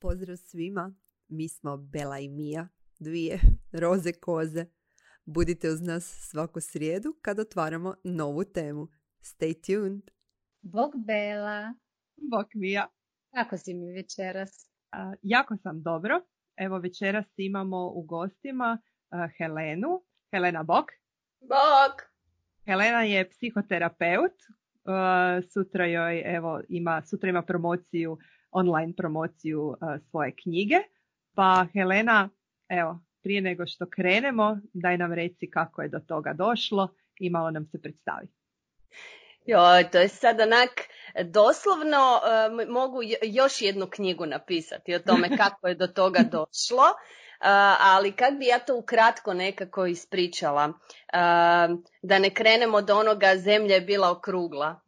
Pozdrav svima, mi smo Bela i Mija, dvije roze koze. Budite uz nas svaku srijedu kad otvaramo novu temu. Stay tuned! Bog Bela. Bog Mija. Kako si mi večeras? Jako sam dobro. Evo večeras imamo u gostima Helenu. Helena, bog. Bog. Helena je psihoterapeut. Sutra ima promociju, online promociju svoje knjige. Pa Helena, evo, prije nego što krenemo, daj nam reci kako je do toga došlo i malo nam se predstavi. Joj, to je sad onak, doslovno mogu još jednu knjigu napisati o tome kako je do toga došlo, ali kak bi ja to ukratko nekako ispričala, da ne krenemo od onoga zemlja je bila okrugla.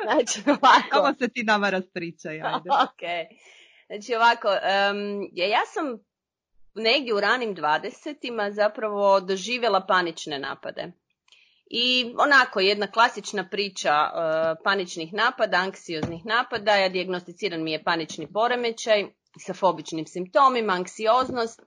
Znači ovako. Ovo se ti nama raspričaj, ajde. Okay. Znači ovako, ja sam negdje u ranim 20-ima zapravo doživjela panične napade. I onako jedna klasična priča paničnih napada, anksioznih napada, ja dijagnosticiran mi je panični poremećaj sa fobičnim simptomima, anksioznost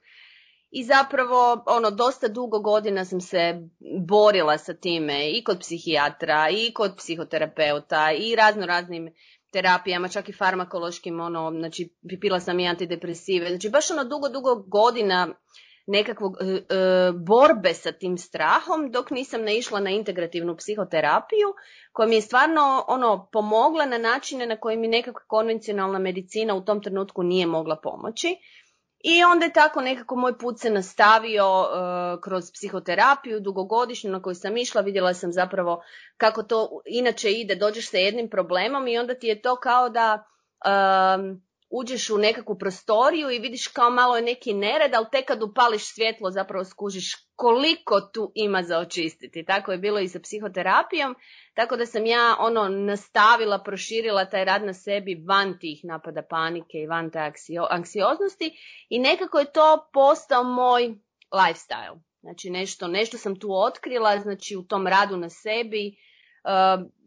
i zapravo dosta dugo godina sam se borila sa time i kod psihijatra i kod psihoterapeuta i raznim terapijama, čak i farmakološkim, znači pila sam i antidepresive, znači baš dugo godina nekakvog borbe sa tim strahom dok nisam naišla na integrativnu psihoterapiju koja mi je stvarno pomogla na načine na koje mi nekakva konvencionalna medicina u tom trenutku nije mogla pomoći. I onda je tako nekako moj put se nastavio kroz psihoterapiju dugogodišnju na koju sam išla, vidjela sam zapravo kako to inače ide, dođeš sa jednim problemom i onda ti je to kao da uđeš u nekakvu prostoriju i vidiš kao malo je neki nered, ali tek kad upališ svjetlo zapravo skužiš koliko tu ima za očistiti. Tako je bilo i sa psihoterapijom, tako da sam ja nastavila, proširila taj rad na sebi van tih napada panike i van te anksioznosti i nekako je to postao moj lifestyle. Znači nešto sam tu otkrila, znači u tom radu na sebi,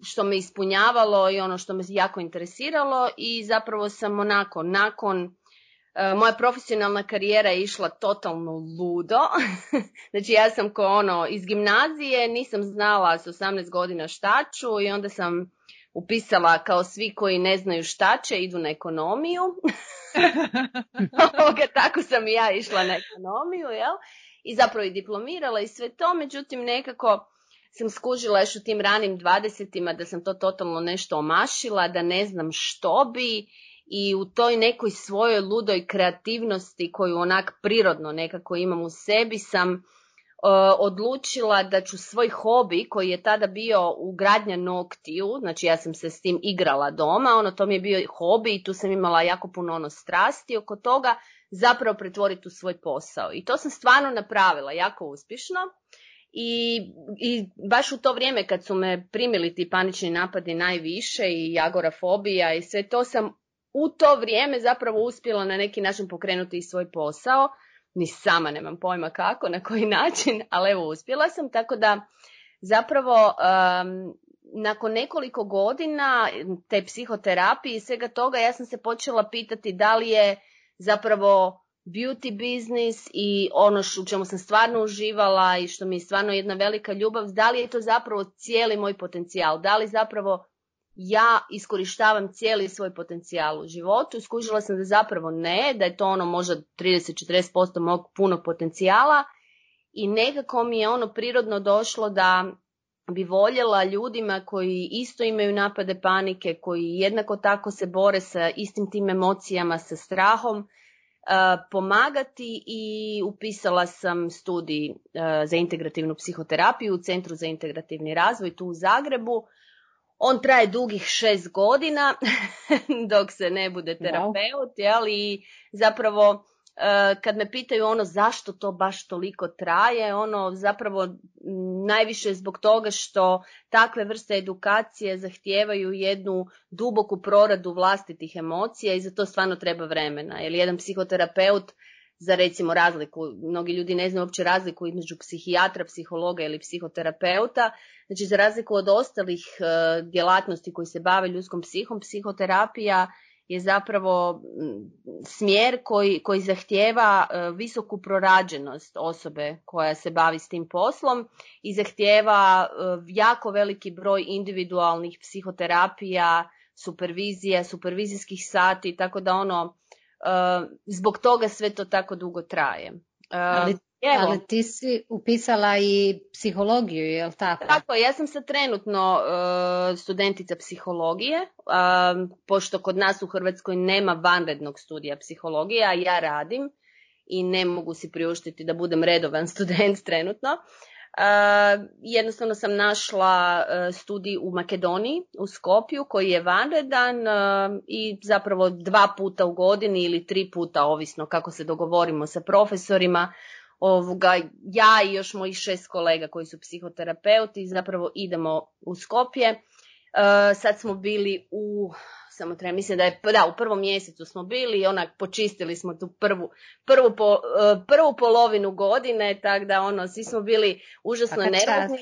što me ispunjavalo i što me jako interesiralo i zapravo sam nakon moja profesionalna karijera je išla totalno ludo. Znači ja sam iz gimnazije, nisam znala s 18 godina šta ću i onda sam upisala kao svi koji ne znaju šta će, idu na ekonomiju. Tako sam i ja išla na ekonomiju, jel? I zapravo i diplomirala i sve to, međutim nekako sam skužila još u tim ranim 20-ima da sam to totalno nešto omašila, da ne znam što bi i u toj nekoj svojoj ludoj kreativnosti koju onak prirodno nekako imam u sebi sam odlučila da ću svoj hobi koji je tada bio ugradnja noktiju, znači ja sam se s tim igrala doma, to mi je bio hobi i tu sam imala jako puno strasti oko toga, zapravo pretvoriti u svoj posao. I to sam stvarno napravila jako uspješno. I baš u to vrijeme kad su me primili ti panični napadi najviše i agorafobija i sve to sam u to vrijeme zapravo uspjela na neki način pokrenuti i svoj posao. Ni sama nemam pojma kako, na koji način, ali evo uspjela sam. Tako da zapravo nakon nekoliko godina te psihoterapije i svega toga ja sam se počela pitati da li je zapravo beauty business i u čemu sam stvarno uživala i što mi je stvarno jedna velika ljubav, da li je to zapravo cijeli moj potencijal, da li zapravo ja iskorištavam cijeli svoj potencijal u životu. Skužila sam da zapravo ne, da je to možda 30-40% mog punog potencijala i nekako mi je prirodno došlo da bi voljela ljudima koji isto imaju napade panike, koji jednako tako se bore sa istim tim emocijama, sa strahom, pomagati i upisala sam studij za integrativnu psihoterapiju u Centru za integrativni razvoj tu u Zagrebu. On traje dugih 6 godina dok se ne bude terapeut, jel? I zapravo kad me pitaju zašto to baš toliko traje, zapravo najviše zbog toga što takve vrste edukacije zahtijevaju jednu duboku proradu vlastitih emocija i za to stvarno treba vremena. Jer jedan psihoterapeut, za recimo razliku, mnogi ljudi ne znaju uopće razliku između psihijatra, psihologa ili psihoterapeuta, znači za razliku od ostalih djelatnosti koji se bave ljudskom psihom, psihoterapija je zapravo smjer koji zahtijeva visoku prorađenost osobe koja se bavi s tim poslom i zahtijeva jako veliki broj individualnih psihoterapija, supervizija, supervizijskih sati, tako da zbog toga sve to tako dugo traje. Ali ti si upisala i psihologiju, je li tako? Tako, ja sam sad trenutno studentica psihologije, pošto kod nas u Hrvatskoj nema vanrednog studija psihologije, a ja radim i ne mogu si priuštiti da budem redovan student trenutno. Jednostavno sam našla studij u Makedoniji, u Skopju, koji je vanredan i zapravo 2 puta u godini ili 3 puta, ovisno kako se dogovorimo sa profesorima. Ja i još mojih 6 kolega koji su psihoterapeuti zapravo idemo u Skopje. Sad smo bili mislim da je u prvom mjesecu smo bili i počistili smo tu prvu polovinu godine, tako da svi smo bili užasno nervozni.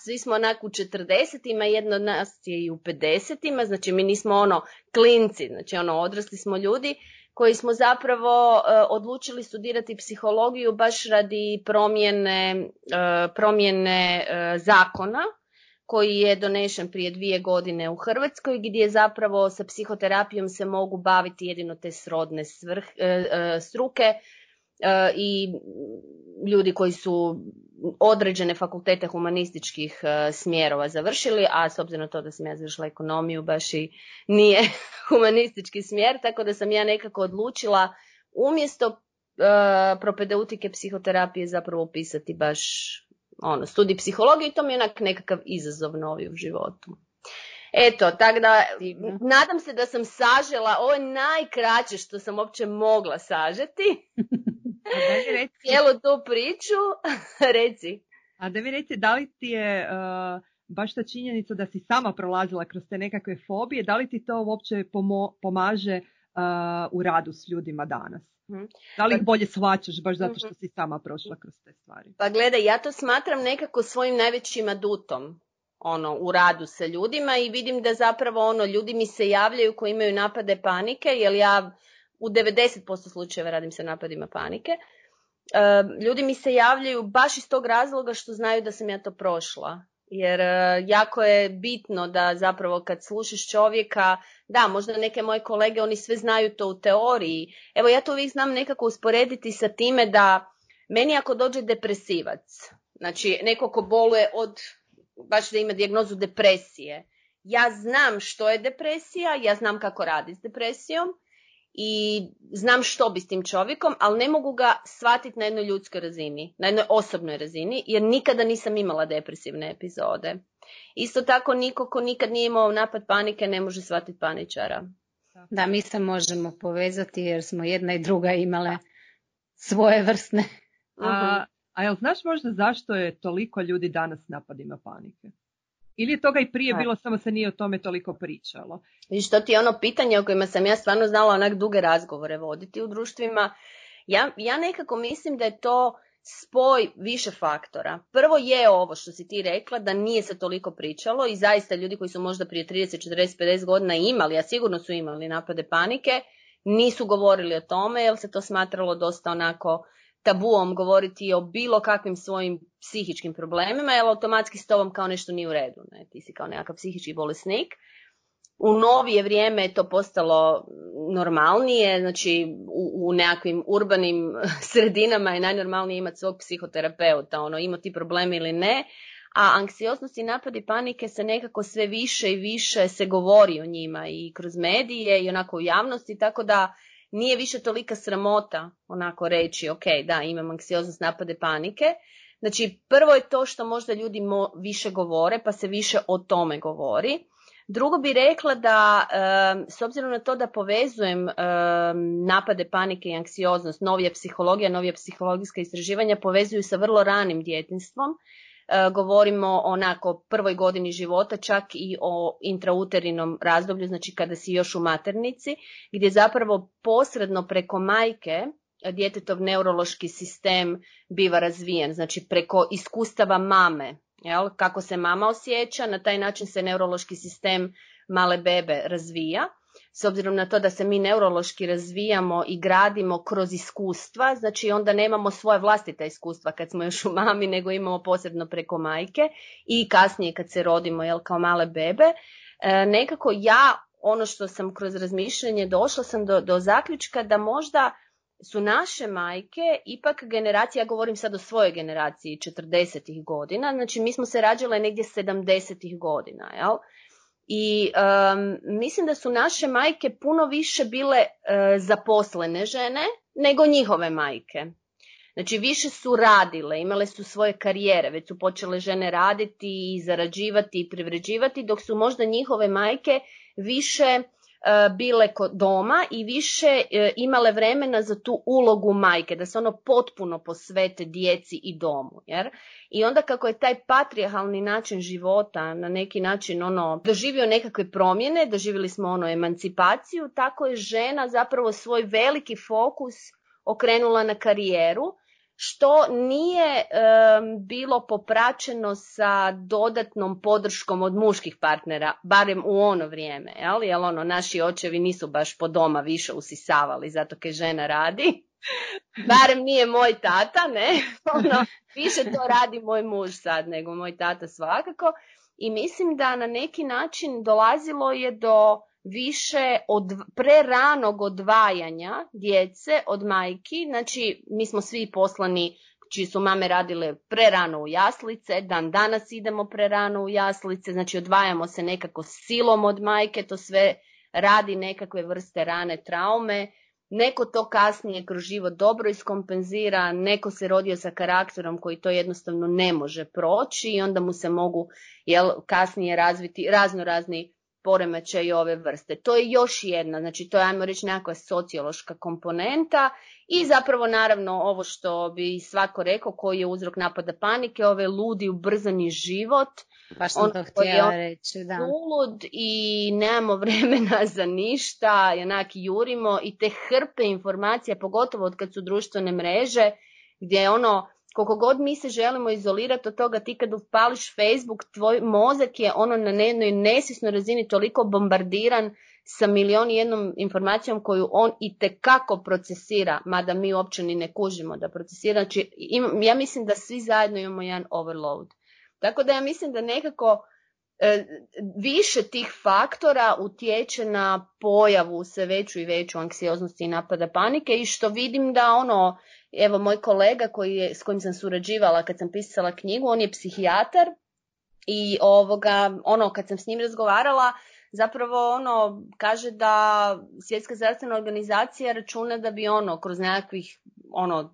Svi smo u 40-ima, jedno od nas je i u 50-ima, znači mi nismo klinci, znači odrasli smo ljudi koji smo zapravo odlučili studirati psihologiju baš radi promjene zakona koji je donešen prije 2 godine u Hrvatskoj, gdje zapravo sa psihoterapijom se mogu baviti jedino te srodne struke i ljudi koji su određene fakultete humanističkih smjerova završili, a s obzirom na to da sam ja završila ekonomiju, baš i nije humanistički smjer, tako da sam ja nekako odlučila umjesto propedeutike psihoterapije zapravo upisati baš studij psihologije i to mi je nekakav izazov novi u životu. Eto, tako da nadam se da sam sažela, ovo je najkraće što sam uopće mogla sažeti. Cijelu tu priču, reci. A da mi reci, da li ti je baš ta činjenica da si sama prolazila kroz te nekakve fobije, da li ti to uopće pomaže u radu s ljudima danas? Da li ih bolje shvaćaš baš zato što si sama prošla kroz te stvari? Pa gledaj, ja to smatram nekako svojim najvećim adutom u radu sa ljudima i vidim da zapravo ljudi mi se javljaju koji imaju napade panike, jer ja u 90% slučajeva radim sa napadima panike. Ljudi mi se javljaju baš iz tog razloga što znaju da sam ja to prošla. Jer jako je bitno da zapravo kad slušaš čovjeka, da, možda neke moje kolege, oni sve znaju to u teoriji. Evo, ja to uvijek znam nekako usporediti sa time da meni ako dođe depresivac, znači neko ko boluje baš da ima dijagnozu depresije, ja znam što je depresija, ja znam kako radi s depresijom i znam što bi s tim čovjekom, ali ne mogu ga shvatiti na jednoj ljudskoj razini, na jednoj osobnoj razini, jer nikada nisam imala depresivne epizode. Isto tako niko ko nikad nije imao napad panike ne može shvatiti paničara. Da, mi se možemo povezati jer smo jedna i druga imale svoje vrstne. A jel znaš možda zašto je toliko ljudi danas napadima panike? Ili je toga i prije bilo, samo se nije o tome toliko pričalo? Viš, to ti je pitanje o kojima sam ja stvarno znala duge razgovore voditi u društvima. Ja nekako mislim da je to spoj više faktora. Prvo je ovo što si ti rekla, da nije se toliko pričalo i zaista ljudi koji su možda prije 30, 40, 50 godina imali, a sigurno su imali napade panike, nisu govorili o tome jer se to smatralo dosta tabuom govoriti o bilo kakvim svojim psihičkim problemima, jer automatski s tobom kao nešto nije u redu. Ne? Ti si kao nekakav psihički bolesnik. U novije vrijeme je to postalo normalnije, znači u nekakvim urbanim sredinama je najnormalnije imati svog psihoterapeuta, ima ti problemi ili ne, a anksioznost i napadi panike se nekako sve više i više se govori o njima i kroz medije i u javnosti, tako da nije više tolika sramota reći ok, da, imam anksioznost, napade panike. Znači, prvo je to što možda ljudi više govore, pa se više o tome govori. Drugo bi rekla da, s obzirom na to da povezujem napade panike i anksioznost, novija psihologija, novija psihologijska istraživanja povezuju sa vrlo ranim djetinjstvom. Govorimo o prvoj godini života, čak i o intrauterinom razdoblju, znači kada si još u maternici, gdje zapravo posredno preko majke djetetov neurološki sistem biva razvijen, znači preko iskustava mame. Jel? Kako se mama osjeća, na taj način se neurološki sistem male bebe razvija. s obzirom na to da se mi neurološki razvijamo i gradimo kroz iskustva, znači onda nemamo svoje vlastita iskustva kad smo još u mami, nego imamo posebno preko majke i kasnije kad se rodimo, kao male bebe. Nekako ono što sam kroz razmišljanje došla sam do zaključka da možda su naše majke ipak generacija, ja govorim sad o svojoj generaciji 40-ih godina, znači mi smo se rađale negdje 70-ih godina, jel? I mislim da su naše majke puno više bile zaposlene žene nego njihove majke. Znači više su radile, imale su svoje karijere, već su počele žene raditi i zarađivati i privređivati, dok su možda njihove majke više bile kod doma i više imale vremena za tu ulogu majke, da se potpuno posvete djeci i domu. I onda kako je taj patrijarhalni način života na neki način doživio nekakve promjene, doživjeli smo emancipaciju, tako je žena zapravo svoj veliki fokus okrenula na karijeru, što nije bilo popraćeno sa dodatnom podrškom od muških partnera, barem u ono vrijeme, jer naši očevi nisu baš po doma više usisavali zato kaj žena radi, barem nije moj tata, ne, više to radi moj muž sad nego moj tata svakako, i mislim da na neki način dolazilo je do više od preranog odvajanja djece od majki. Znači mi smo svi poslani čiji su mame radile prerano u jaslice, dan danas idemo prerano u jaslice, znači odvajamo se nekako silom od majke, to sve radi nekakve vrste rane traume. Neko to kasnije kroz život dobro iskompenzira, neko se rodio sa karakterom koji to jednostavno ne može proći i onda mu se mogu kasnije razviti razni poremećaj ove vrste. To je još jedna, znači to je, ajmo reći, nekakva sociološka komponenta i zapravo naravno ovo što bi svako rekao koji je uzrok napada panike, ove ludi ubrzani život. Baš sam to htjela reći, da. Ulud i nemamo vremena za ništa, jednak jurimo i te hrpe informacija, pogotovo od kad su društvene mreže, gdje je koliko god mi se želimo izolirati od toga, ti kad upališ Facebook, tvoj mozak je na jednoj nesvjesnoj razini toliko bombardiran sa milion i jednom informacijom koju on itekako procesira, mada mi uopće ni ne kužimo da procesira. Znači, ja mislim da svi zajedno imamo jedan overload. Tako da ja mislim da nekako više tih faktora utječe na pojavu sve veću i veću anksioznosti i napada panike i što vidim da evo moj kolega s kojim sam surađivala kad sam pisala knjigu, on je psihijatar i kad sam s njim razgovarala, zapravo kaže da Svjetska zdravstvena organizacija računa da bi kroz nekakvih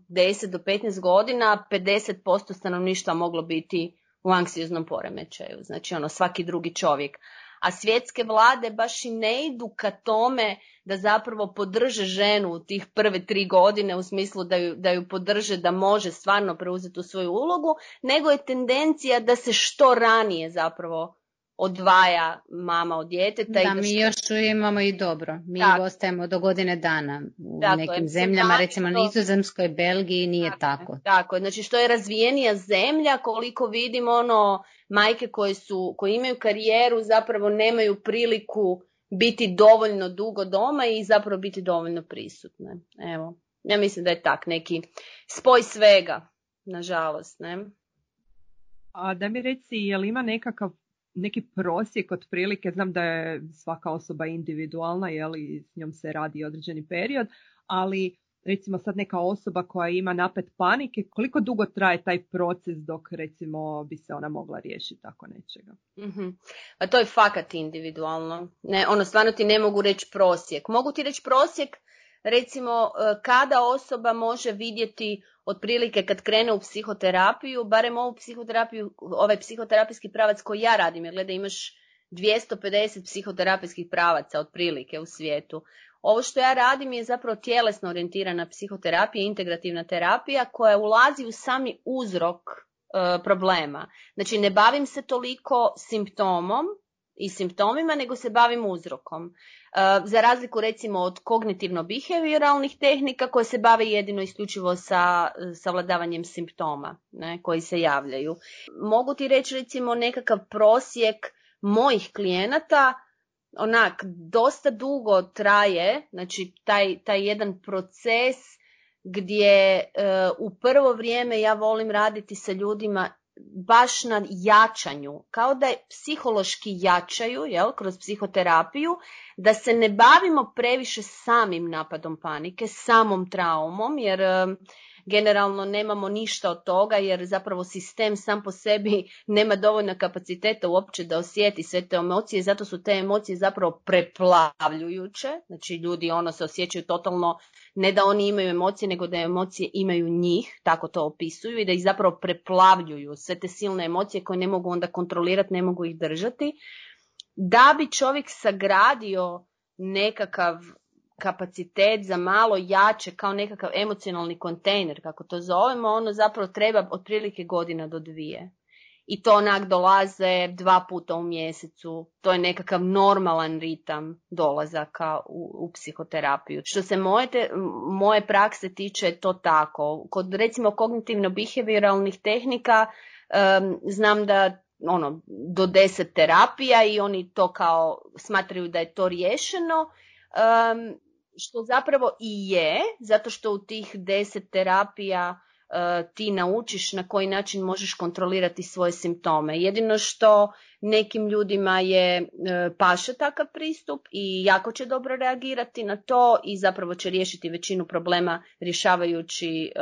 10 do 15 godina 50% stanovništva moglo biti u anksioznom poremećaju, znači svaki drugi čovjek. A svjetske vlade baš i ne idu ka tome da zapravo podrže ženu u tih prve 3 godine u smislu da ju podrže da može stvarno preuzeti tu svoju ulogu, nego je tendencija da se što ranije zapravo odvaja mama od djeteta. Da, mi još imamo i dobro. Mi ostajemo do godine dana. U nekim zemljama, recimo na Nizozemskoj, Belgiji, nije tako. Tako, znači što je razvijenija zemlja, koliko vidimo majke koje imaju karijeru zapravo nemaju priliku biti dovoljno dugo doma i zapravo biti dovoljno prisutne. Evo, ja mislim da je tak neki spoj svega, nažalost, ne? A da mi reci, je li ima neki prosjek otprilike, znam da je svaka osoba individualna, i s njom se radi određeni period, ali recimo sad neka osoba koja ima napad panike, koliko dugo traje taj proces dok recimo bi se ona mogla riješiti tako nečega? Mm-hmm. A to je fakat individualno. Ne, stvarno ti ne mogu reći prosjek. Mogu ti reći prosjek recimo kada osoba može vidjeti otprilike kad krene u psihoterapiju, barem ovu psihoterapiju, ovaj psihoterapijski pravac koji ja radim, jer gledaj imaš 250 psihoterapijskih pravaca otprilike u svijetu. Ovo što ja radim je zapravo tjelesno orijentirana psihoterapija, integrativna terapija koja ulazi u sami uzrok problema. Znači ne bavim se toliko simptomom i simptomima, nego se bavim uzrokom. Za razliku recimo od kognitivno-behavioralnih tehnika koje se bave jedino isključivo sa savladavanjem simptoma, ne, koji se javljaju. Mogu ti reći recimo nekakav prosjek mojih klijenata dosta dugo traje, znači taj jedan proces gdje u prvo vrijeme ja volim raditi sa ljudima baš na jačanju, kao da psihološki jačaju, kroz psihoterapiju, da se ne bavimo previše samim napadom panike, samom traumom, jer generalno nemamo ništa od toga, jer zapravo sistem sam po sebi nema dovoljno kapaciteta uopće da osjeti sve te emocije, zato su te emocije zapravo preplavljujuće, znači ljudi se osjećaju totalno, ne da oni imaju emocije, nego da emocije imaju njih, tako to opisuju, i da ih zapravo preplavljuju sve te silne emocije koje ne mogu onda kontrolirati, ne mogu ih držati, da bi čovjek sagradio nekakav kapacitet za malo jače, kao nekakav emocionalni kontejner, kako to zovemo, ono zapravo treba otprilike 1 godina do 2. I to dolaze 2 puta u mjesecu. To je nekakav normalan ritam dolazaka u psihoterapiju. Što se moje prakse tiče, to tako. Kod recimo kognitivno-behavioralnih tehnika znam da do 10 terapija i oni to kao smatraju da je to riješeno. Što zapravo i je, zato što u tih 10 terapija ti naučiš na koji način možeš kontrolirati svoje simptome. Jedino što nekim ljudima je paše takav pristup i jako će dobro reagirati na to i zapravo će riješiti većinu problema rješavajući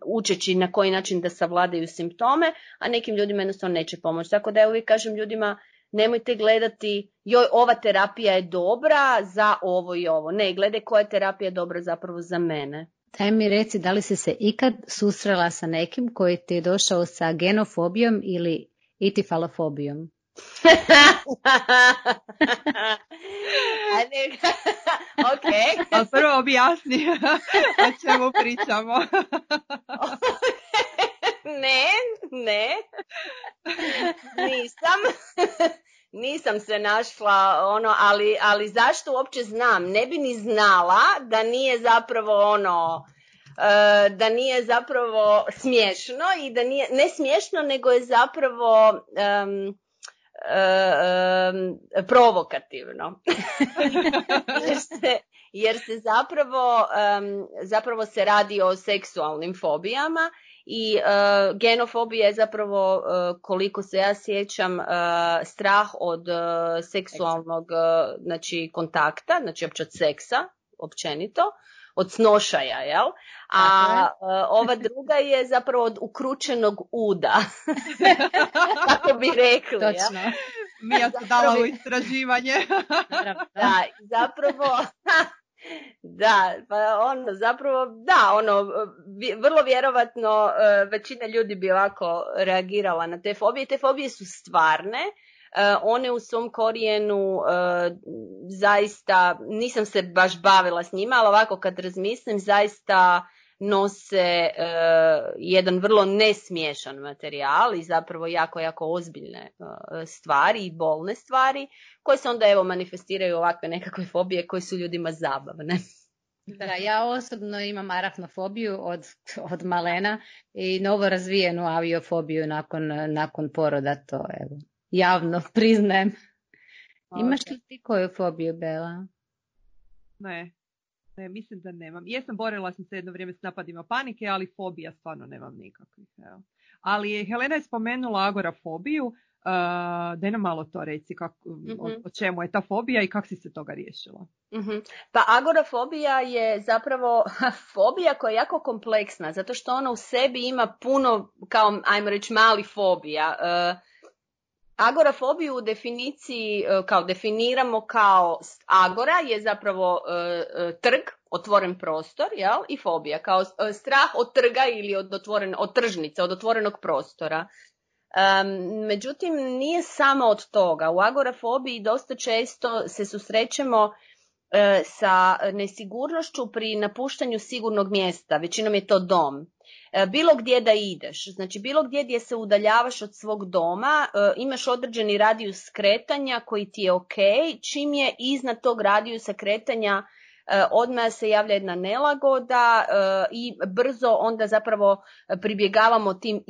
učeći na koji način da savladaju simptome, a nekim ljudima jednostavno neće pomoći. Tako da ja uvijek kažem ljudima, nemojte gledati, joj, ova terapija je dobra za ovo i ovo. Ne, gledaj koja je terapija dobra zapravo za mene. Daj mi reci, da li si se ikad susrela sa nekim koji ti je došao sa genofobijom ili itifalofobijom? Ok. A prvo objasni o čemu pričamo. Ne. Nisam se našla, ali zašto uopće znam? Ne bi ni znala da nije zapravo da nije zapravo smiješno i da nije, ne smiješno, nego je zapravo provokativno. jer se zapravo se radi o seksualnim fobijama i genofobija je zapravo, koliko se ja sjećam, strah od seksualnog kontakta, znači opće od seksa, općenito, od snošaja, jel? A ova druga je zapravo od ukručenog uda. Tako bi rekli. Točno. Jel? Mija se dala u istraživanje. Da, zapravo... vrlo vjerovatno većina ljudi bi ovako reagirala na te fobije. Te fobije su stvarne, one u svom korijenu zaista, nisam se baš bavila s njima, ali ovako kad razmislim, zaista nose jedan vrlo nesmiješan materijal i zapravo jako, jako ozbiljne stvari i bolne stvari koje se onda manifestiraju ovakve nekakve fobije koje su ljudima zabavne. Da, ja osobno imam arafnofobiju od malena i novo razvijenu aviofobiju nakon poroda, to javno priznajem. Imaš li ti koju fobiju, Bela? Ne, mislim da nemam. Borila sam se jedno vrijeme s napadima panike, ali fobija stvarno nemam nikakvih. Evo. Ali Helena je spomenula agorafobiju. Daj nam malo to reci, o čemu je ta fobija i kako si se toga riješila? Pa agorafobija je zapravo fobija koja je jako kompleksna, zato što ona u sebi ima puno, kao ajmo reći, mali fobija. Agorafobiju u definiciji definiramo kao agora je zapravo trg, otvoren prostor, jel? I fobija kao strah od trga ili od tržnice, od otvorenog prostora. Međutim, nije samo od toga. U agorafobiji dosta često se susrećemo sa nesigurnošću pri napuštanju sigurnog mjesta, većinom je to dom. Bilo gdje da ideš, znači bilo gdje se udaljavaš od svog doma, imaš određeni radijus kretanja koji ti je ok, čim je iznad tog radijusa kretanja odmah se javlja jedna nelagoda i brzo onda zapravo pribjegavamo tim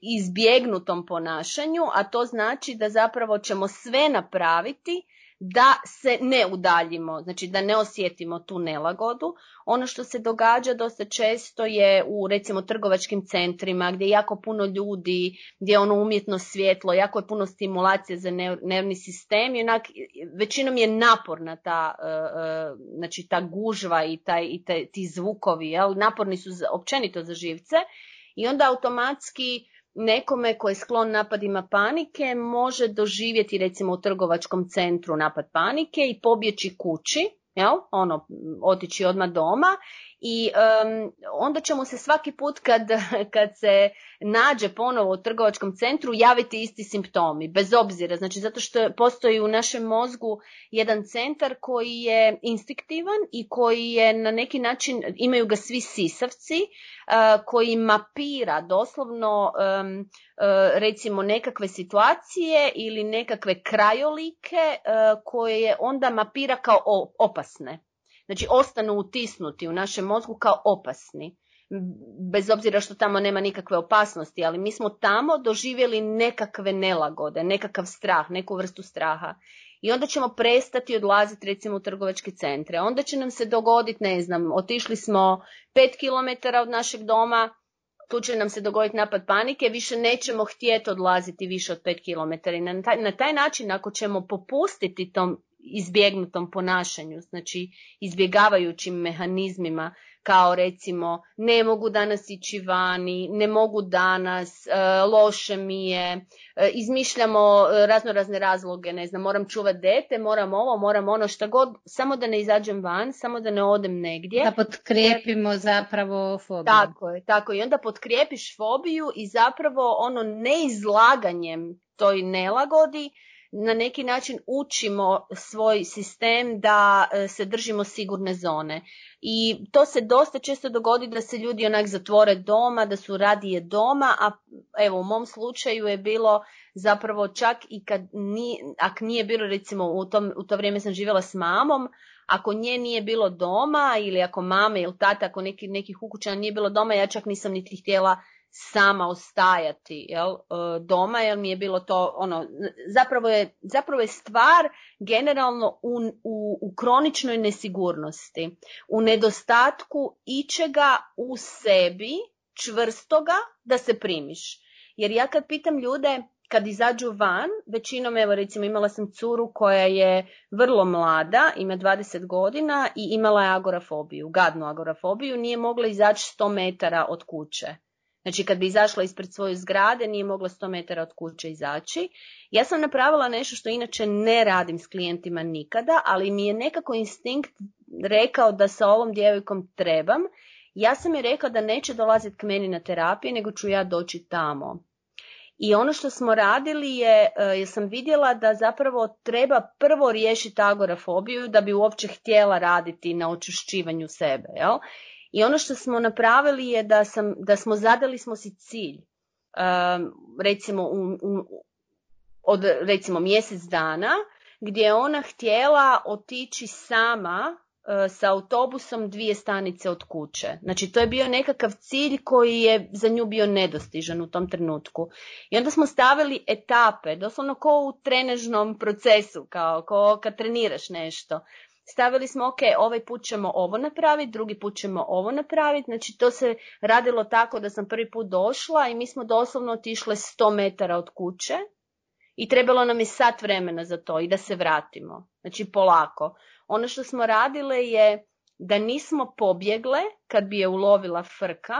izbjegnutom ponašanju, a to znači da zapravo ćemo sve napraviti da se ne udaljimo, znači da ne osjetimo tu nelagodu. Ono što se događa dosta često je u recimo trgovačkim centrima gdje je jako puno ljudi, gdje je ono umjetno svjetlo, jako je puno stimulacije za nervni sistem i onak većinom je naporna znači ta gužva i ti zvukovi, jel? Naporni su općenito za živce i onda automatski nekome koji je sklon napadima panike može doživjeti recimo u trgovačkom centru napad panike i pobjeći kući, jel? Otići odmah doma i onda će mu se svaki put kad se nađe ponovo u trgovačkom centru javiti isti simptomi, bez obzira, znači zato što postoji u našem mozgu jedan centar koji je instinktivan i koji je na neki način, imaju ga svi sisavci, koji mapira doslovno recimo nekakve situacije ili nekakve krajolike koje onda mapira kao opasne. Znači ostanu utisnuti u našem mozgu kao opasni, bez obzira što tamo nema nikakve opasnosti, ali mi smo tamo doživjeli nekakve nelagode, nekakav strah, neku vrstu straha. I onda ćemo prestati odlaziti recimo u trgovačke centre. Onda će nam se dogoditi, ne znam, otišli smo 5 km od našeg doma, tu će nam se dogoditi napad panike, više nećemo htjeti odlaziti više od 5 km. I na taj način, ako ćemo popustiti tom izbjegnutom ponašanju, znači izbjegavajućim mehanizmima, kao recimo ne mogu danas ići vani, ne mogu danas, loše mi je, izmišljamo razne razloge, ne znam, moram čuvati dete, moram ovo, moram ono, šta god, samo da ne izađem van, samo da ne odem negdje. Da potkrijepimo zapravo fobiju. Tako i onda potkrijepiš fobiju i zapravo ono neizlaganjem toj nelagodi na neki način učimo svoj sistem da se držimo sigurne zone. I to se dosta često dogodi da se ljudi onak zatvore doma, da su radije doma, a evo u mom slučaju je bilo zapravo čak i ako nije bilo recimo u to vrijeme sam živjela s mamom, ako nje nije bilo doma ili ako mame ili tata, ako nekih ukućana nije bilo doma, ja čak nisam niti htjela sama ostajati doma, jer mi je bilo to zapravo je stvar generalno u kroničnoj nesigurnosti, u nedostatku ičega u sebi čvrstoga da se primiš. Jer ja kad pitam ljude kad izađu van, većinom, evo recimo imala sam curu koja je vrlo mlada, ima 20 godina i imala je agorafobiju, gadnu agorafobiju, nije mogla izaći 100 metara od kuće. Znači kad bi izašla ispred svoje zgrade nije mogla 100 metara od kuće izaći. Ja sam napravila nešto što inače ne radim s klijentima nikada, ali mi je nekako instinkt rekao da sa ovom djevojkom trebam. Ja sam je rekao da neće dolaziti k meni na terapiju, nego ću ja doći tamo. I ono što smo radili je, jer sam vidjela da zapravo treba prvo riješiti agorafobiju da bi uopće htjela raditi na očišćivanju sebe, jel? I ono što smo napravili je zadali smo si cilj, recimo od recimo mjesec dana, gdje je ona htjela otići sama sa autobusom 2 stanice od kuće. Znači to je bio nekakav cilj koji je za nju bio nedostižan u tom trenutku. I onda smo stavili etape, doslovno kao u trenažnom procesu, kao kad treniraš nešto. Stavili smo, ok, ovaj put ćemo ovo napraviti, drugi put ćemo ovo napraviti. Znači to se radilo tako da sam prvi put došla i mi smo doslovno otišle 100 metara od kuće i trebalo nam je sat vremena za to i da se vratimo. Znači polako. Ono što smo radile je da nismo pobjegle kad bi je ulovila frka,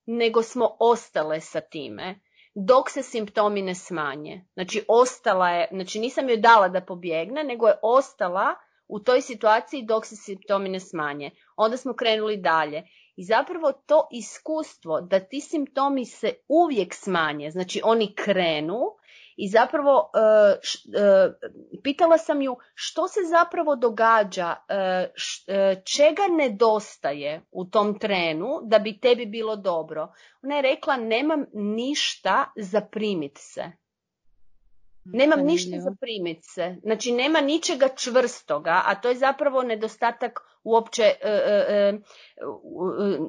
nego smo ostale sa time dok se simptomi ne smanje. Znači ostala je, znači nisam joj dala da pobjegne, nego je ostala u toj situaciji dok se simptomi ne smanje. Onda smo krenuli dalje. I zapravo to iskustvo da ti simptomi se uvijek smanje, znači oni krenu i zapravo pitala sam ju što se zapravo događa, čega nedostaje u tom trenu da bi tebi bilo dobro. Ona je rekla nemam ništa za primit se. Nemam ništa za primit se. Znači, nema ničega čvrstoga, a to je zapravo nedostatak uopće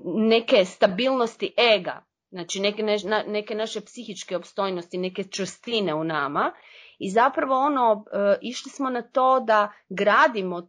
neke stabilnosti ega. Znači, neke naše psihičke opstojnosti, neke čvrstine u nama. I zapravo išli smo na to da gradimo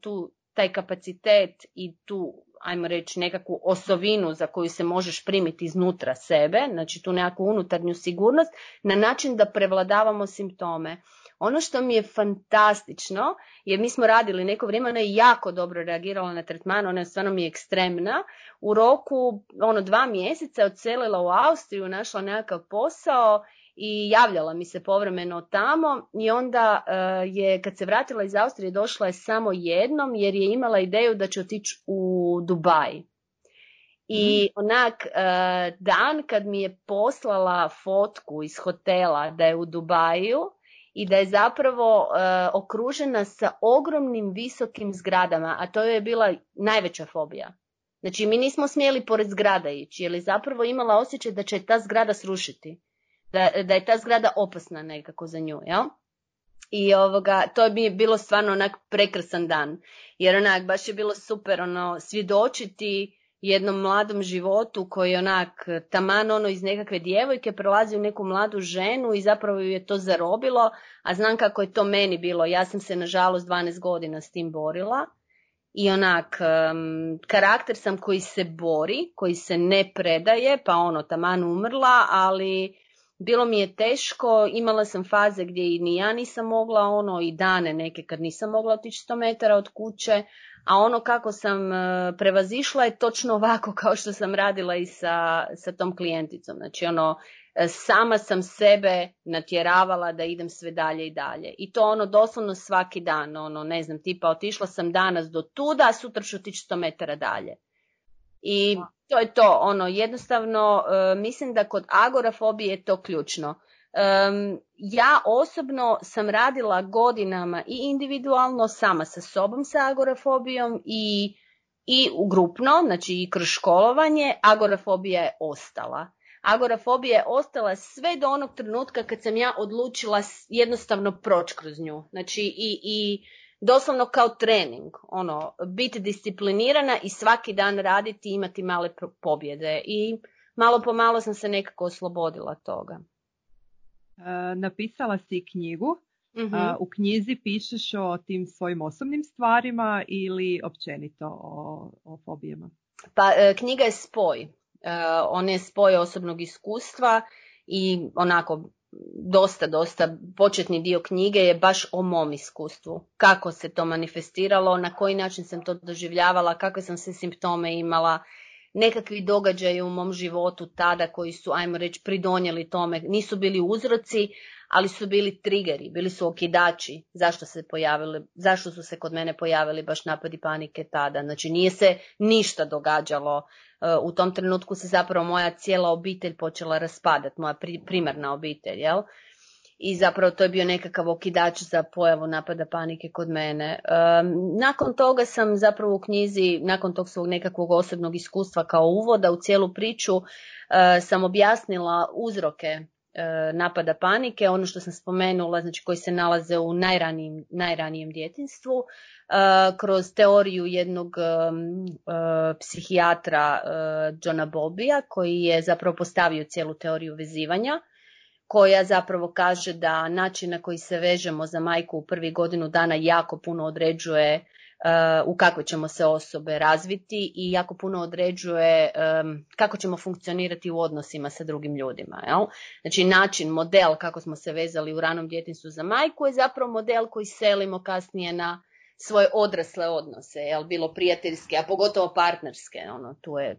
taj kapacitet i tu, ajmo reći, nekakvu osovinu za koju se možeš primiti iznutra sebe, znači tu nekakvu unutarnju sigurnost, na način da prevladavamo simptome. Ono što mi je fantastično, jer mi smo radili neko vrijeme, ona je jako dobro reagirala na tretman, ona je stvarno mi je ekstremna. U roku 2 mjeseca je odselila u Austriju, našla nekakav posao i javljala mi se povremeno tamo i onda je, kad se vratila iz Austrije, došla je samo jednom jer je imala ideju da će otići u Dubaj. I dan kad mi je poslala fotku iz hotela da je u Dubaju i da je zapravo okružena sa ogromnim visokim zgradama, a to je bila najveća fobija. Znači, mi nismo smjeli pored zgrada ići, jer je zapravo imala osjećaj da će ta zgrada srušiti. Da je ta zgrada opasna nekako za nju, jel? I to je bilo stvarno onak prekrasan dan. Jer baš je bilo super svjedočiti jednom mladom životu koji taman iz nekakve djevojke prelazi u neku mladu ženu i zapravo ju je to zarobilo, a znam kako je to meni bilo. Ja sam se nažalost 12 godina s tim borila i karakter sam koji se bori, koji se ne predaje, pa taman umrla, ali bilo mi je teško, imala sam faze gdje i ni ja nisam mogla, i dane neke kad nisam mogla otići 100 metara od kuće, a kako sam prevazišla je točno ovako kao što sam radila i sa tom klijenticom. Znači sama sam sebe natjeravala da idem sve dalje i dalje. I to doslovno svaki dan, ne znam, tipa otišla sam danas do tuda, a sutra ću otići 100 metara dalje. I to je to, jednostavno mislim da kod agorafobije je to ključno. Ja osobno sam radila godinama i individualno sama sa sobom sa agorafobijom i u grupno, znači i kroz školovanje. Agorafobija je ostala. Agorafobija je ostala sve do onog trenutka kad sam ja odlučila jednostavno proći kroz nju. Znači i doslovno kao trening, biti disciplinirana i svaki dan raditi i imati male pobjede. I malo po malo sam se nekako oslobodila toga. Napisala si knjigu. U knjizi pišeš o tim svojim osobnim stvarima ili općenito o fobijama? Pa knjiga je spoj. On je spoj osobnog iskustva i dosta početni dio knjige je baš o mom iskustvu. Kako se to manifestiralo, na koji način sam to doživljavala, kakve sam se simptome imala, nekakvi događaji u mom životu tada koji su, ajmo reći, pridonijeli tome. Nisu bili uzroci, ali su bili triggeri, bili su okidači. Zašto su se kod mene pojavili baš napadi panike tada? Znači nije se ništa događalo. U tom trenutku se zapravo moja cijela obitelj počela raspadati, moja primarna obitelj, jel? I zapravo to je bio nekakav okidač za pojavu napada panike kod mene. Nakon toga sam zapravo u knjizi, nakon tog svog nekakvog osobnog iskustva kao uvoda u cijelu priču, sam objasnila uzroke napada panike, ono što sam spomenula, znači koji se nalaze u najranijem djetinjstvu, kroz teoriju jednog psihijatra Johna Bowlbya, koji je zapravo postavio cijelu teoriju vezivanja, koja zapravo kaže da način na koji se vežemo za majku u prvih godinu dana jako puno određuje u kakve ćemo se osobe razviti i jako puno određuje kako ćemo funkcionirati u odnosima sa drugim ljudima. Jel? Znači način, model kako smo se vezali u ranom djetinjstvu za majku je zapravo model koji selimo kasnije na svoje odrasle odnose, jel? Bilo prijateljske, a pogotovo partnerske.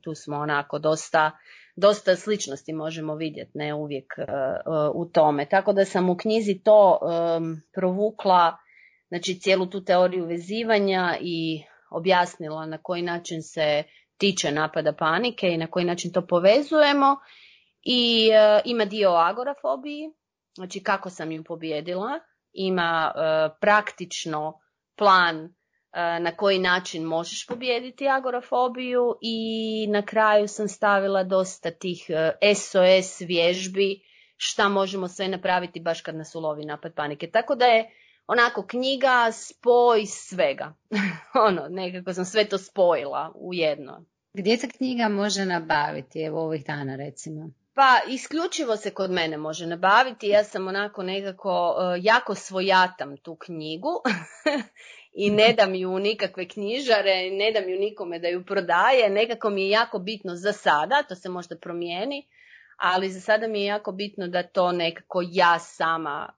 Tu smo onako dosta sličnosti možemo vidjeti, ne uvijek u tome. Tako da sam u knjizi to provukla, znači cijelu tu teoriju vezivanja i objasnila na koji način se tiče napada panike i na koji način to povezujemo. I ima dio o agorafobiji, znači kako sam ju pobijedila, ima praktično plan na koji način možeš pobijediti agorafobiju i na kraju sam stavila dosta tih SOS vježbi šta možemo sve napraviti baš kad nas ulovi napad panike. Tako da je onako knjiga spoj svega. Nekako sam sve to spojila u jedno. Gdje se knjiga može nabaviti, evo ovih dana recimo? Pa isključivo se kod mene može nabaviti. Ja sam onako nekako jako svojatam tu knjigu i ne dam ju nikakve knjižare, ne dam ju nikome da ju prodaje. Nekako mi je jako bitno za sada, to se možda promijeni, ali za sada mi je jako bitno da to nekako ja sama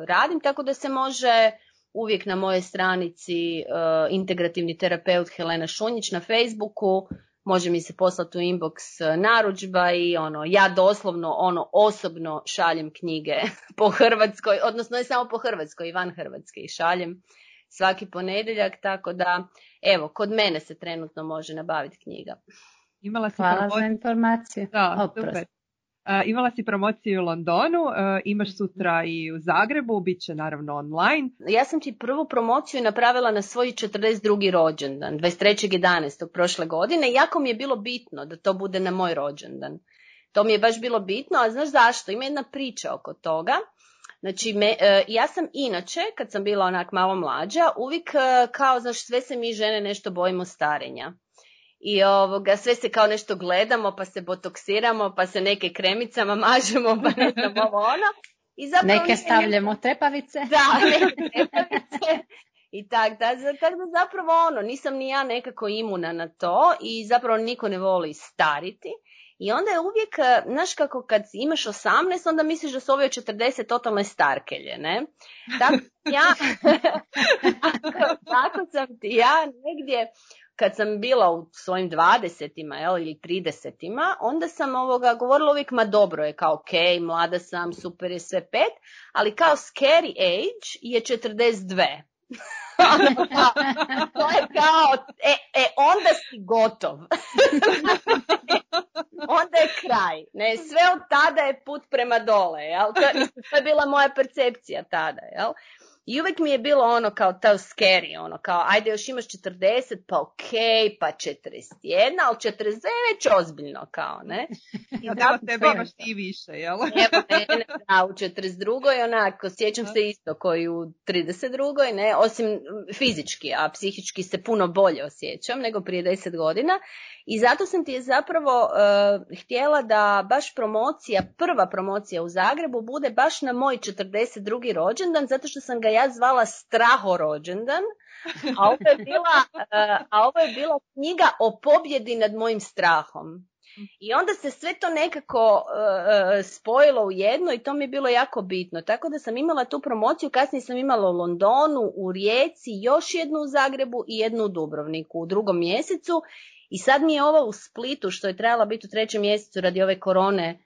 radim, tako da se može uvijek na mojoj stranici integrativni terapeut Helena Šunjić na Facebooku, može mi se poslati u inbox narudžba i ja doslovno osobno šaljem knjige po Hrvatskoj, odnosno ne samo po Hrvatskoj i van Hrvatske i šaljem svaki ponedjeljak, tako da evo, kod mene se trenutno može nabaviti knjiga. Hvala za informaciju. Da, super. Imala si promociju u Londonu, imaš sutra i u Zagrebu, bit će naravno online. Ja sam ti prvu promociju napravila na svoj 42. rođendan, 23.11. prošle godine. Jako mi je bilo bitno da to bude na moj rođendan. To mi je baš bilo bitno, a znaš zašto? Ima jedna priča oko toga. Znači, ja sam inače, kad sam bila onak malo mlađa, uvijek kao, znaš, sve se mi žene nešto bojimo starenja. I sve se kao nešto gledamo, pa se botoksiramo, pa se neke kremicama mažemo, pa ne znam I neke stavljamo trepavice. Da, neke trepavice. I tako da zapravo nisam ni ja nekako imuna na to i zapravo niko ne voli stariti. I onda je uvijek, znaš kako kad imaš 18, onda misliš da su ove 40 totalne starkelje, ne? Tako sam ti ja negdje, kad sam bila u svojim 20-ima ili 30-ima, onda sam govorila uvijek, ma dobro je, kao ok, mlada sam, super je sve 5, ali kao scary age je 42. To je kao, onda si gotov. Onda je kraj. Ne? Sve od tada je put prema dole. Jel? To je bila moja percepcija tada. Jel? I uvijek mi je bilo kao to scary, kao ajde još imaš 40, pa ok, pa 41, ali 42 je već ozbiljno, kao, ne? I da tebe imaš ti više, jel? Evo mene, da, u 42. onako, sjećam se isto koji u 32. ne, osim fizički, a psihički se puno bolje osjećam nego prije 10 godina. I zato sam ti je zapravo htjela da baš prva promocija u Zagrebu bude baš na moj 42. rođendan, zato što sam ga ja zvala Strahorođendan, a ovo je bila knjiga o pobjedi nad mojim strahom. I onda se sve to nekako spojilo u jedno i to mi je bilo jako bitno. Tako da sam imala tu promociju, kasnije sam imala u Londonu, u Rijeci, još jednu u Zagrebu i jednu u Dubrovniku u 2. mjesecu. I sad mi je ova u Splitu, što je trebala biti u 3. mjesecu radi ove korone,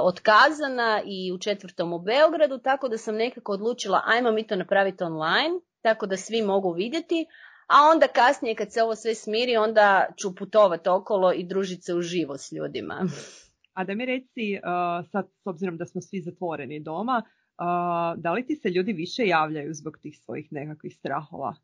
otkazana i u 4. u Beogradu, tako da sam nekako odlučila ajmo mi to napraviti online, tako da svi mogu vidjeti, a onda kasnije kad se ovo sve smiri, onda ću putovati okolo i družiti se uživo s ljudima. A da mi reci, sad s obzirom da smo svi zatvoreni doma, da li ti se ljudi više javljaju zbog tih svojih nekakvih strahova?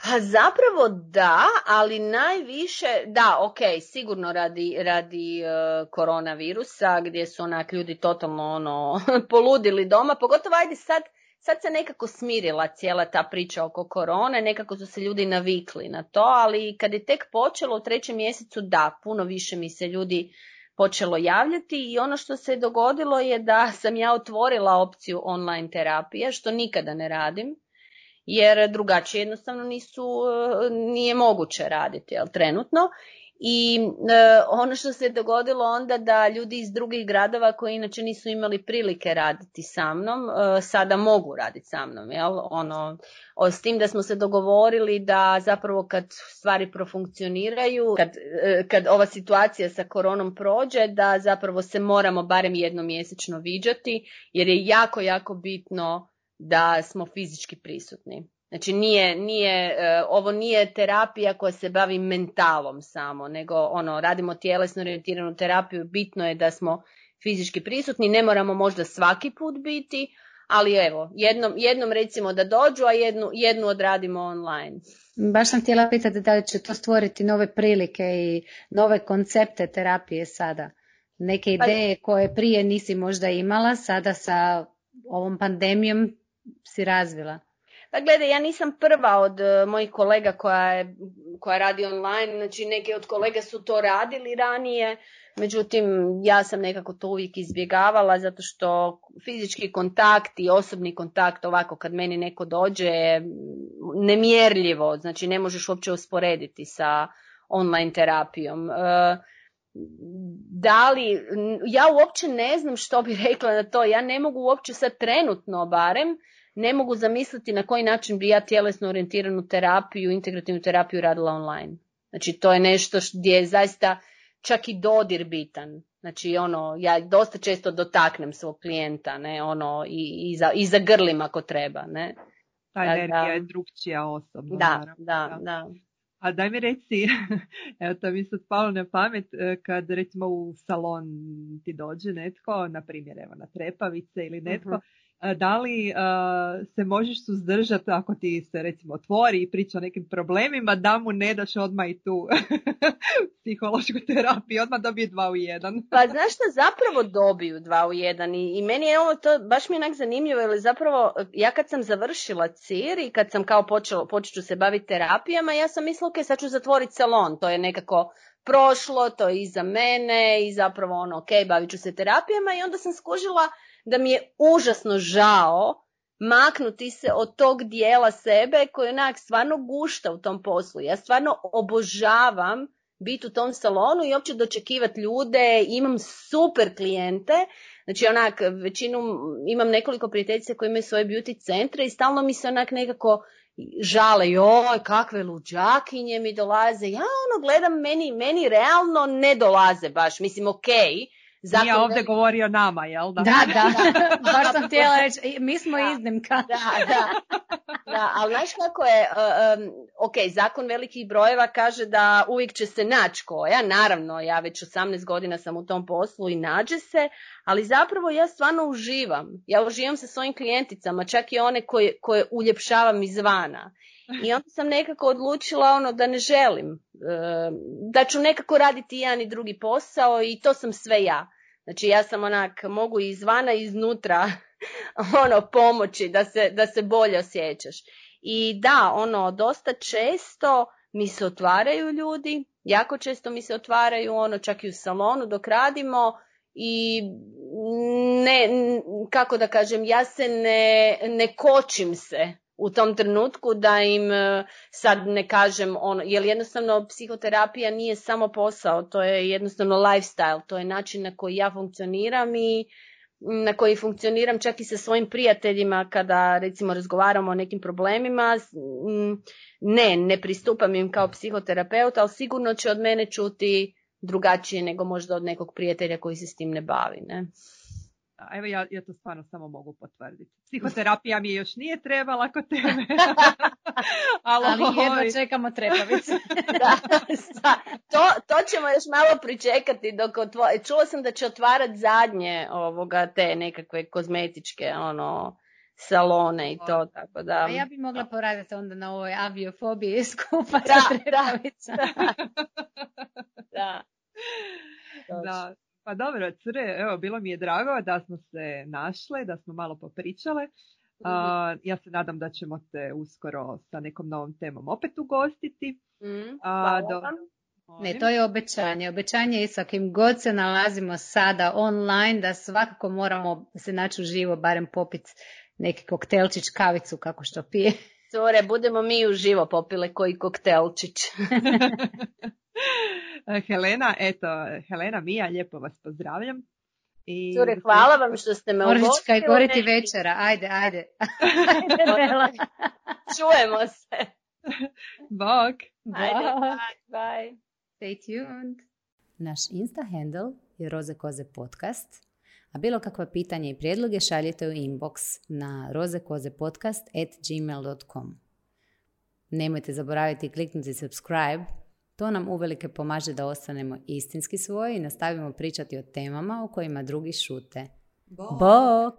Pa zapravo da, ali najviše, da, ok, sigurno radi koronavirusa gdje su onak ljudi totalno poludili doma, pogotovo ajde sad se nekako smirila cijela ta priča oko korone, nekako su se ljudi navikli na to, ali kad je tek počelo u 3. mjesecu, da, puno više mi se ljudi počelo javljati i ono što se dogodilo je da sam ja otvorila opciju online terapije, što nikada ne radim. Jer drugačije jednostavno nije moguće raditi, jel, trenutno. I ono što se dogodilo onda da ljudi iz drugih gradova koji inače nisu imali prilike raditi sa mnom, sada mogu raditi sa mnom, jel? S tim da smo se dogovorili da zapravo kad stvari profunkcioniraju, kad ova situacija sa koronom prođe, da zapravo se moramo barem jednom mjesečno viđati, jer je jako, jako bitno da smo fizički prisutni. Znači ovo nije terapija koja se bavi mentalom samo, nego radimo tjelesno orijentiranu terapiju, bitno je da smo fizički prisutni, ne moramo možda svaki put biti, ali evo, jednom recimo da dođu, a jednu odradimo online. Baš sam htjela pitati da li će to stvoriti nove prilike i nove koncepte terapije sada neke ideje koje prije nisi možda imala, sada sa ovom pandemijom si razvila? Pa gledaj, ja nisam prva od mojih kolega koja radi online, znači neke od kolega su to radili ranije, međutim ja sam nekako to uvijek izbjegavala zato što fizički kontakt i osobni kontakt ovako kad meni neko dođe je nemjerljivo, znači ne možeš uopće usporediti sa online terapijom. Ja uopće ne znam što bi rekla na to, ja ne mogu uopće sad trenutno barem, ne mogu zamisliti na koji način bi ja tjelesno orijentiranu terapiju, integrativnu terapiju radila online. Znači to je nešto gdje je zaista čak i dodir bitan. Znači ja dosta često dotaknem svog klijenta, ne, i zagrlim ako treba, ne. Ta energija je drugčija osobno. Da. A daj mi reci, evo to mi sad palo na pamet, kad recimo u salon ti dođe netko, na primjer evo na trepavice ili netko, da li se možeš suzdržati ako ti se recimo otvori i priča o nekim problemima, da mu ne daš odmah i tu psihološku terapiju, odmah dobije 2 u 1. Pa znaš što, zapravo dobiju 2 u 1 i meni je ovo to, baš mi je onak zanimljivo, jer zapravo ja kad sam završila CIR i kad sam kao počet ću se baviti terapijama, ja sam mislila ok, sad ću zatvoriti salon, to je nekako prošlo, to je iza mene i zapravo ok, bavit ću se terapijama i onda sam skužila da mi je užasno žao maknuti se od tog dijela sebe koji onak stvarno gušta u tom poslu. Ja stvarno obožavam biti u tom salonu i uopće dočekivati ljude, imam super klijente, znači onak većinu, imam nekoliko prijateljica koji imaju svoje beauty centre i stalno mi se onak nekako žale, joj, kakve luđakinje mi dolaze, ja gledam, meni realno ne dolaze baš, mislim Nije ovdje govori o nama, jel da? Da, baš sam htjela reći, mi smo iznimka. Da, ali znaš kako je, zakon velikih brojeva kaže da uvijek će se naći koja, naravno, ja već 18 godina sam u tom poslu i nađe se, ali zapravo ja stvarno uživam. Ja uživam sa svojim klijenticama, čak i one koje uljepšavam izvana. I onda sam nekako odlučila da ne želim, da ću nekako raditi jedan i drugi posao i to sam sve ja. Znači ja sam mogu i izvana i iznutra pomoći da se bolje osjećaš. I da, dosta često mi se otvaraju ljudi, jako često mi se otvaraju čak i u salonu dok radimo i kako da kažem, ja se ne kočim se u tom trenutku da im sad ne kažem jer jednostavno psihoterapija nije samo posao, to je jednostavno lifestyle, to je način na koji ja funkcioniram i na koji funkcioniram čak i sa svojim prijateljima kada recimo razgovaramo o nekim problemima, ne pristupam im kao psihoterapeut, ali sigurno će od mene čuti drugačije nego možda od nekog prijatelja koji se s tim ne bavi, ne? Evo ja to stvarno samo mogu potvrditi. Psihoterapija mi još nije trebala kod tebe. ali jedno čekamo trepavice. To ćemo još malo pričekati dok čula sam da će otvarati zadnje te nekakve kozmetičke salone i to, tako da. A ja bi mogla poraditi onda na ovoj aviofobiji skupa sa trepavicama. Da. Pa dobro, cure, evo, bilo mi je drago da smo se našle, da smo malo popričale. Ja se nadam da ćemo te uskoro sa nekom novom temom opet ugostiti. Ne, to je obećanje. Obećanje je sa kim god se nalazimo sada online, da svakako moramo se naći uživo, barem popiti neki koktelčić, kavicu, kako što pije. Cure, budemo mi uživo popile koji koktelčić. Helena, Mija, lijepo vas pozdravljam. Cure, hvala vam što ste me ugostili. Moraš kaj goriti večera, ajde. Ajde, Bela. Čujemo se. Bok. Ajde, bye. Stay tuned. Naš Insta handle je Roze Koze podcast, a bilo kakva pitanja i prijedloge šaljite u inbox na rozekozepodcast@gmail.com. Nemojte zaboraviti kliknuti subscribe. To nam uvelike pomaže da ostanemo istinski svoji i nastavimo pričati o temama o kojima drugi šute. Bok!